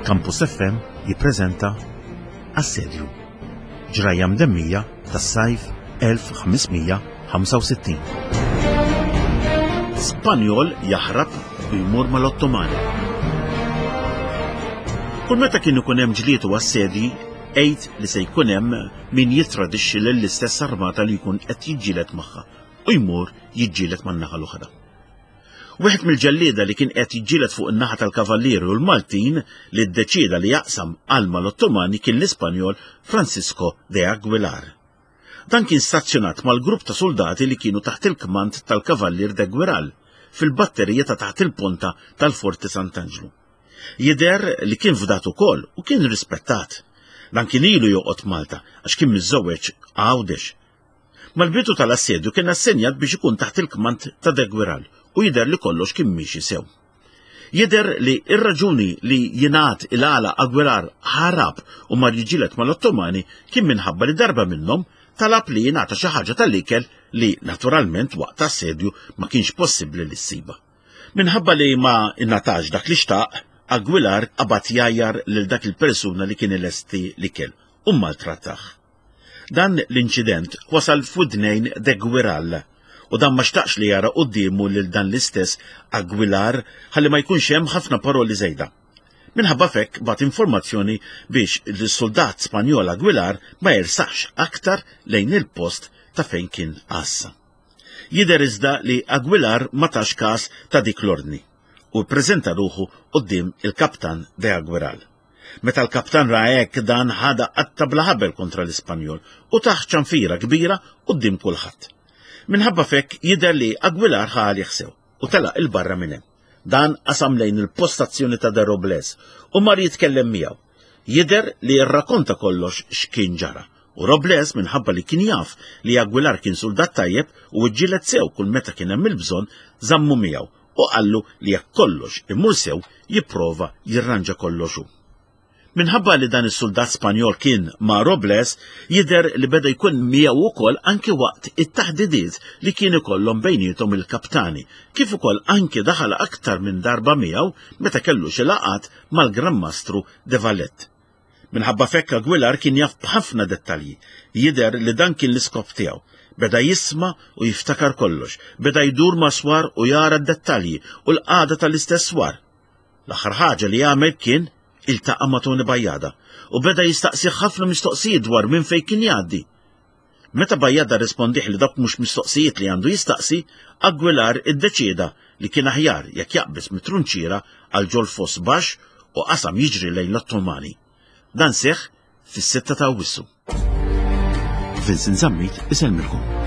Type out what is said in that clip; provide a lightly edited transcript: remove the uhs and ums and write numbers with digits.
Campus FM jippreżenta Assedju. Ġrajja mdemmija tas-sajf 1565. Spanjol jaħrab u jmur mal-Ottomani. Kull meta kien ikun hemm ġlied u assedji, għid li se jkun hemm min jittradixxi lill-istess armata li jkun qed jiġġieled magħha u jmur jiġġieled man-naħa l-oħra. Wieħed mill-ġellieda li kien qed jiġġieled fuq in-naħa tal-Kavallieri u l-Maltin li ddeċieda li jaqsam għal mal-Ottomani kien l-Ispanjol Francisco de Aguilar. Dan kien stazzjonat mal-grupp ta' suldati li kienu taħt il-kmand tal-Kavallier de Guiral fil-batterija ta' taħt il-ponta tal-Forti Sant'Anġlu. Jidher li kien fdat ukoll u kien rispettat. Dan kien ilu joqgħod Malta għax kien miżżewweġ Għawdex. Mal-bidu tal-assedju kien assenjat biex ikun taħt il-kmand ta' De Guiral u jidher li kollox kien miexi sew. Jidher li r-raġuni li jingħad il-għala Aguilar ħarab u mar jiġġieled mal-Ottomani kien minħabba li darba minnhom talab li jingħata xi ħaġa tal-ikel li naturalment waqt assedju ma kienx possibbli li ssibha. Minħabba li ma ingħatax dak li xtaq, Aguilar qabad jgħajjar lil dak il-persuna li kien ilesti l-ikel u mmaltrattah. Dan l-inċident wasal f'widnejn De Guiral u dan ma xtaqx li jara quddiemu lil dan l-istess Aguilar ħalli ma jkunx hemm ħafna paroli żejda. Minħabba f'hekk bagħat informazzjoni biex l-suldat Spanjol Aguilar ma jersax aktar lejn il-post ta' fejn kien għassa. Jidher iżda li Aguilar ma tax każ ta' dik l-ordni u ppreżenta ruħu quddiem il-kaptan De Aguiral. Meta l-kaptan ra hekk dan ħadha qatta bla ħabel kontra l-Ispanjol u tah ċanfira kbira quddiem kulħadd. Minħabba f'hekk jidher li Aguilar ħa għalih sew u telaq 'il barra minn hemm. Dan qasam lejn il-postazzjoni ta' De Robles u mar jitkellem miegħu. Jidher li rrakonta kollox x'kien ġara u Robles minħabba li kien jaf li Aguilar kien suldat tajjeb u ġġieled sew kull meta kien hemm il-bżonn żammu miegħu u qallu li jekk kollox imur sew jipprova jirranġa kollox hu. Minħabba li dan is-suldat Spanjol kien ma' Robles, jidher li beda jkun miegħu wkoll anki waqt it-taħdidiet li kien ikollhom bejniethom il-kaptani, kif ukoll anki daħal aktar minn darba miegħu meta kellu xi laqgħat mal-Gran Mastru de Valette. Minħabba f'hekk Aguilar kien jaf b'ħafna dettalji. Jidher li dan kien l-iskop tiegħu. Beda jisma' u jiftakar kollox. Beda jdur ma' swar u jara d-dettalji u l-qagħda tal-istess swar. L-aħħar ħaġa li għamel kien iltaqa' ma' Tony Bajada u beda jistaqsih ħafna mistoqsijiet dwar minn fejn kien jgħaddi. Meta Bajada rrispondih li dawk mhux mistoqsijiet li għandu jistaqsi, Aguilar iddeċieda li kien aħjar jekk jaqbeż mit-trunċiera għal ġol-foss baxx u qasam jiġri lejn l-Ottomani. Dan seħħ fis-sitta ta' Awwissu. Vincent Zammit isellmilkom.